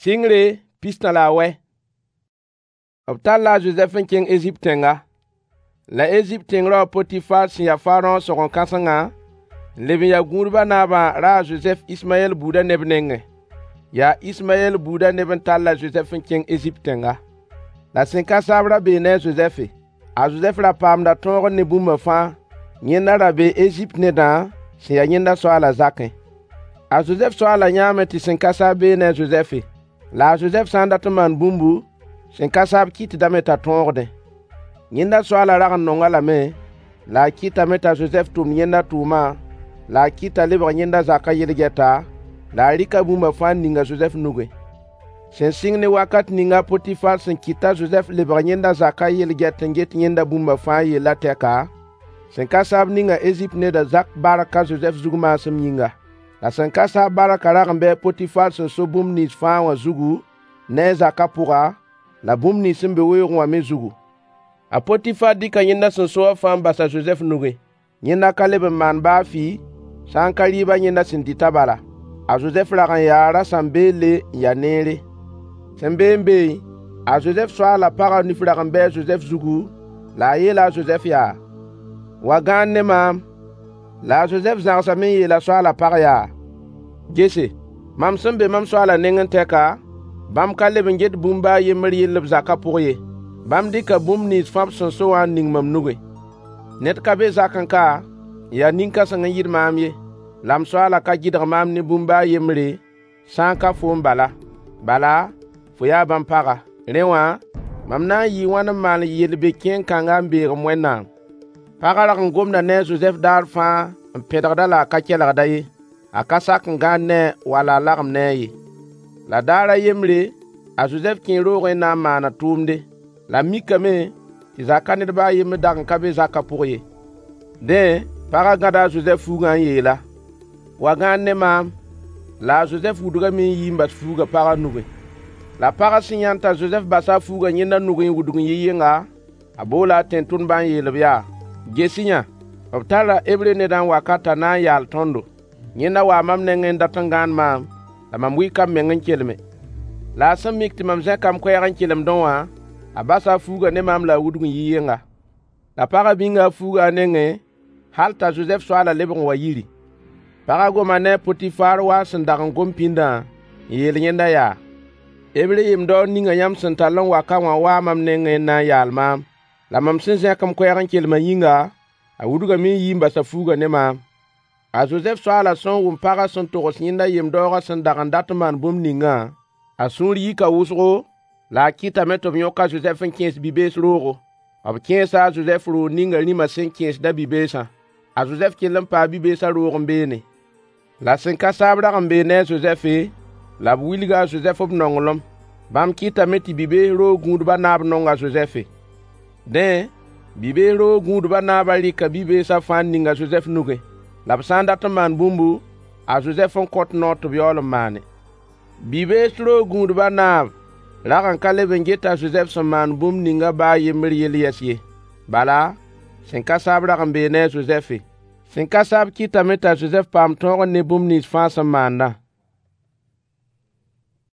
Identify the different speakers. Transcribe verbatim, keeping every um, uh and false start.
Speaker 1: Sɩngre pistã la a wɛ. B talla a Zozɛf n kẽng Ezipt tẽnga. La Ezipt tẽng-rao a Potifar sẽn ya Faraõ sõgen-kãsengã n leb n ya gũudbã naabã raa a Zozɛf Ismayɛl buudã neb nengẽ. Yaa Ismayɛl buudã neb n tall a Zozɛf n kẽng Ezipt tẽnga. La sẽn ka saab ra bee ne a Zozɛfe. A Zozɛf ra paamda tõogr ne bũmba fãa yẽnda ra bee Ezipt nedã sẽn ya yẽnda soaalã zakẽ. A Zozɛf soaalã yãame tɩ sẽn ka saab bee ne a Zozɛfe. La a Zozɛf sã n dat n maan bũmbu, sẽn ka saab kɩtdame t'a tõogdẽ. Yẽnda soaalã rag n nong-a lame, la a kɩtame t'a Zozɛf tʋmd yẽnda tʋʋmã, la a kɩt t'a lebg yẽnda zakã yel-gɛta, la a rɩka bũmba fãa n ning a Zozɛf nugẽ. Sẽn sɩng ne wakat ning a Potifar sẽn kɩt t'a Zozɛf lebg yẽnda zakã yel-gɛt n get yẽnda bũmba fãa yellã tɛka, sẽn ka saab ninga Ezipt nedã zak bark a Zozɛf zug maasem yĩnga. La sẽn ka saab barkã rag n bɩ a Potifar sẽn so bũmb nins fãa wã zugu ne a zakã pʋga, la bũmb nins sẽn be weoogẽ wã me zugu. A Potifar dɩka yẽnda sẽn so wã fãa n bas a Zozɛf nugẽ. Yẽnda ka leb n maan baa fɩ, sã n ka rɩɩbã yẽnda sẽn dɩtã bala. A Zozɛf rag n yaa rasam-beelle n ya neere. Sẽn beẽ n beẽ, a Zozɛf soaalã pagã nif rag n bɩ a Zozɛf zugu, la a yeela a Zozɛf yaa: Wa gãan ne maam. La a Zozɛf zãgsame n yeel a soaalã pag yaa: Gese, mam sẽn be mam soaalã nengẽ tɛka, bãmb ka leb n get bũmb baa a yembr yell b zakã pʋg ye. Bãmb dɩka bũmb nins fãa b sẽn so wã n ning mam nugẽ. Ned ka be zakẽ ka n ya nin-kãseng n yɩɩd maam ye, la m soaalã ka gɩdg maam ne bũmb baa a yembre, sã n ka foom bala. Bala, fo yaa bãmb paga. Rẽ wã, mam na n yɩɩ wãn n maan yel-be-kẽeng kãnga n beeg m Wẽnnaam? Pagã rag n gomda ne a Zozɛf daar fãa n pẽdgd-a la a ka kelgd-a ye. A ka sak n gãan ne-a wala a lagem ne-a ye. La daar a yembre, a Zozɛf kẽe roogẽ n na n maan a tʋʋmde. La a mikame tɩ zakã ned ba a yembr dag n ka be zakã pʋg ye. Dẽ, pagã gãda a Zozɛf fuugã n yeel-a: Wa gãan ne maam. La a Zozɛf wudgame n yi n bas fuugã pagã nugẽ. La pagã sẽn yãnd t'a Zozɛf basa a fuugã yẽnda nugẽ n wudg n yi yẽnga, a boola a tẽn-tʋmdbã n yeel-b yaa: Ges-y-yã, b tara Hebre nedã n wa ka t'a na n yaal tõndo. Yẽnda waa mam nengẽ n dat n gãan maam, la mam wika m meng n kelme. La a sẽn mik tɩ mam zẽka m koɛɛg n kelemdẽ wã, a basa a fuugã ne maam la a wudg n yi yẽnga. La pagã bĩnga a fuugã a nengẽ hal t'a Zozɛf soaalã lebg n wa yiri. Pagã goma ne a Potifar wa a sẽn dag n gom pĩndã n yeel yẽnda yaa: Hebre yem-daoor ninga yãmb sẽn tall n wa ka wã waa mam nengẽ n na n yaal maam. La mam sẽn zẽk m koɛɛg n kelmã yĩnga, a wudgame n yi n bas a fuugã ne maam. A Zozɛf soaalã sẽn wʋm pagã sẽn togs yẽnda yem-daoogã sẽn dag n dat n maan bũmb ningã, a sũur yika wʋsgo, la a kɩtame tɩ b yõk a Zozɛf n kẽes bi-bees roogo. B kẽesa a Zozɛf roog ninga rĩmã sẽn kẽesd a bi-beesã. A Zozɛf kell n paa bi-beesã roog n beene. La sẽn ka saab rag n bee ne a Zozɛfe, la b wilga a Zozɛf b nonglem. Bãmb kɩtame tɩ bi-bees roog gũudbã naab nong a Zozɛfe. Dẽ, bi-bees roog gũudbã naabã rɩka bi-beesã fãa n ning a Zozɛf nugẽ. La b sã n dat n maan bũmbu, a Zozɛf n kõt noor tɩ b yaool n maane. Bi-bees roog gũudbã naab rag n ka leb n get a Zozɛf sẽn maan bũmb ningã baa a yembr yell yɛs ye. Bala, sẽn ka saab rag n bee ne a Zozɛfe. Sẽn ka saab kɩtame t'a Zozɛf paam tõogr ne bũmb nins fãa sẽn maandã.